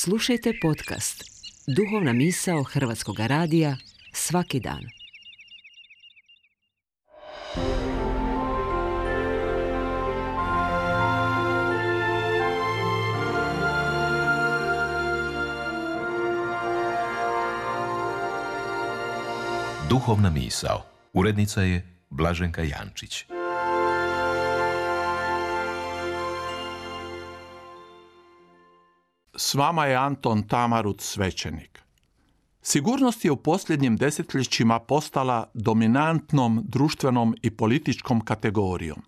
Slušajte podcast Duhovna misao Hrvatskog radija svaki dan. Duhovna misao. Urednica je Blaženka Jančić. S vama je Anton Tamarut, svećenik. Sigurnost je u posljednjim desetljećima postala dominantnom društvenom i političkom kategorijom.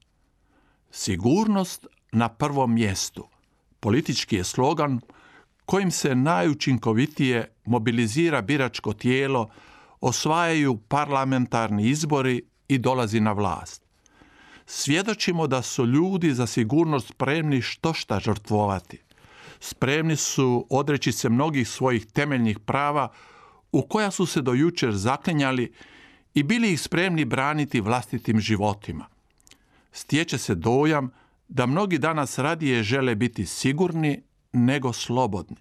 Sigurnost na prvom mjestu. Politički je slogan kojim se najučinkovitije mobilizira biračko tijelo, osvajaju parlamentarni izbori i dolazi na vlast. Svjedočimo da su ljudi za sigurnost spremni štošta žrtvovati. Spremni su odreći se mnogih svojih temeljnih prava u koja su se do jučer zaklinjali i bili ih spremni braniti vlastitim životima. Stječe se dojam da mnogi danas radije žele biti sigurni nego slobodni.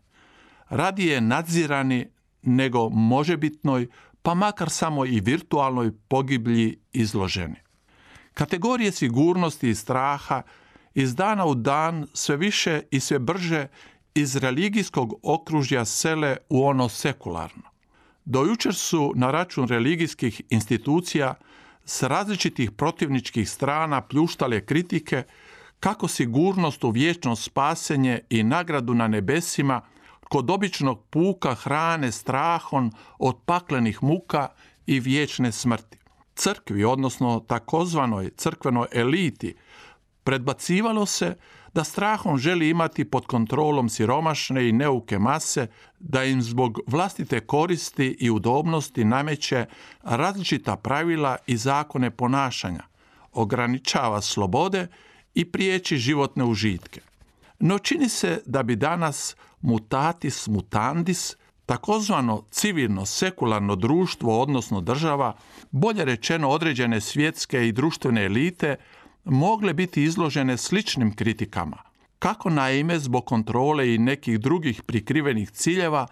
Radije nadzirani nego možebitnoj, pa makar samo i virtualnoj pogiblji izloženi. Kategorije sigurnosti i straha iz dana u dan sve više i sve brže iz religijskog okružja sele u ono sekularno. Do jučer su na račun religijskih institucija s različitih protivničkih strana pljuštale kritike kako sigurnost u vječno spasenje i nagradu na nebesima kod običnog puka hrane strahom od paklenih muka i vječne smrti. Crkvi, odnosno takozvanoj crkvenoj eliti, predbacivalo se da strahom želi imati pod kontrolom siromašne i neuke mase, da im zbog vlastite koristi i udobnosti nameće različita pravila i zakone ponašanja, ograničava slobode i priječi životne užitke. No čini se da bi danas mutatis mutandis, takozvano civilno sekularno društvo, odnosno država, bolje rečeno određene svjetske i društvene elite, mogle biti izložene sličnim kritikama. Kako naime zbog kontrole i nekih drugih prikrivenih ciljeva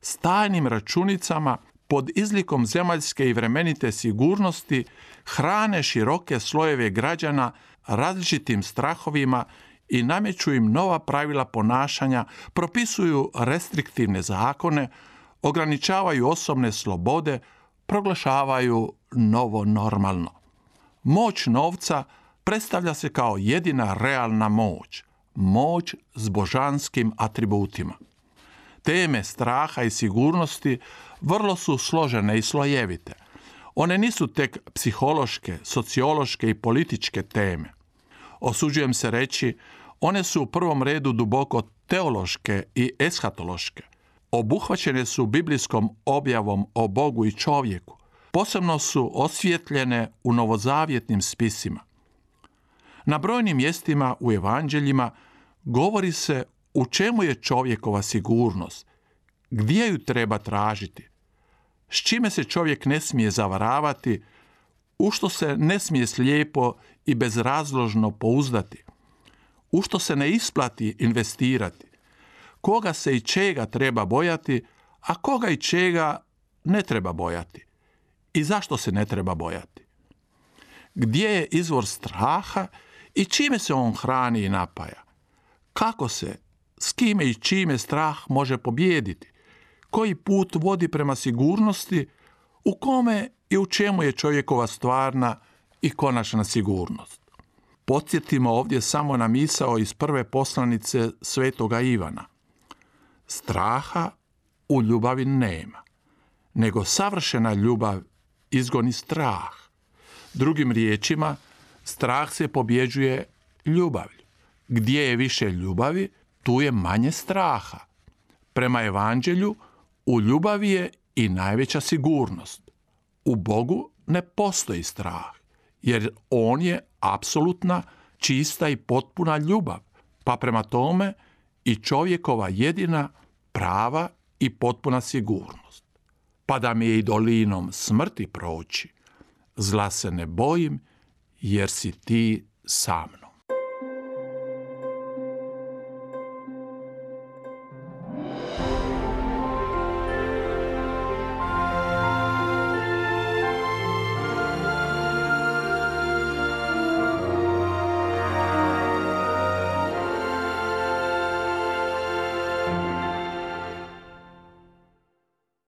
s tajnim računicama pod izlikom zemaljske i vremenite sigurnosti hrane široke slojeve građana različitim strahovima i nameću im nova pravila ponašanja, propisuju restriktivne zakone, ograničavaju osobne slobode, proglašavaju novo normalno. Moć novca predstavlja se kao jedina realna moć, moć s božanskim atributima. Teme straha i sigurnosti vrlo su složene i slojevite. One nisu tek psihološke, sociološke i političke teme. Osuđujem se reći, one su u prvom redu duboko teološke i eshatološke. Obuhvaćene su biblijskom objavom o Bogu i čovjeku. Posebno su osvjetljene u novozavjetnim spisima. Na brojnim mjestima u evanđeljima govori se u čemu je čovjekova sigurnost, gdje ju treba tražiti, s čime se čovjek ne smije zavaravati, u što se ne smije slijepo i bezrazložno pouzdati, u što se ne isplati investirati, koga se i čega treba bojati, a koga i čega ne treba bojati i zašto se ne treba bojati. Gdje je izvor straha i čime se on hrani i napaja? Kako se, s kime i čime strah može pobijediti? Koji put vodi prema sigurnosti? U kome i u čemu je čovjekova stvarna i konačna sigurnost? Podsjetimo ovdje samo na misao iz prve poslanice svetoga Ivana. Straha u ljubavi nema, nego savršena ljubav izgoni strah. Drugim riječima, strah se pobjeđuje ljubavlju. Gdje je više ljubavi, tu je manje straha. Prema evanđelju, u ljubavi je i najveća sigurnost. U Bogu ne postoji strah, jer on je apsolutna, čista i potpuna ljubav, pa prema tome i čovjekova jedina, prava i potpuna sigurnost. Pa da mi je i dolinom smrti proći, zla se ne bojim, jer si ti sa mnom.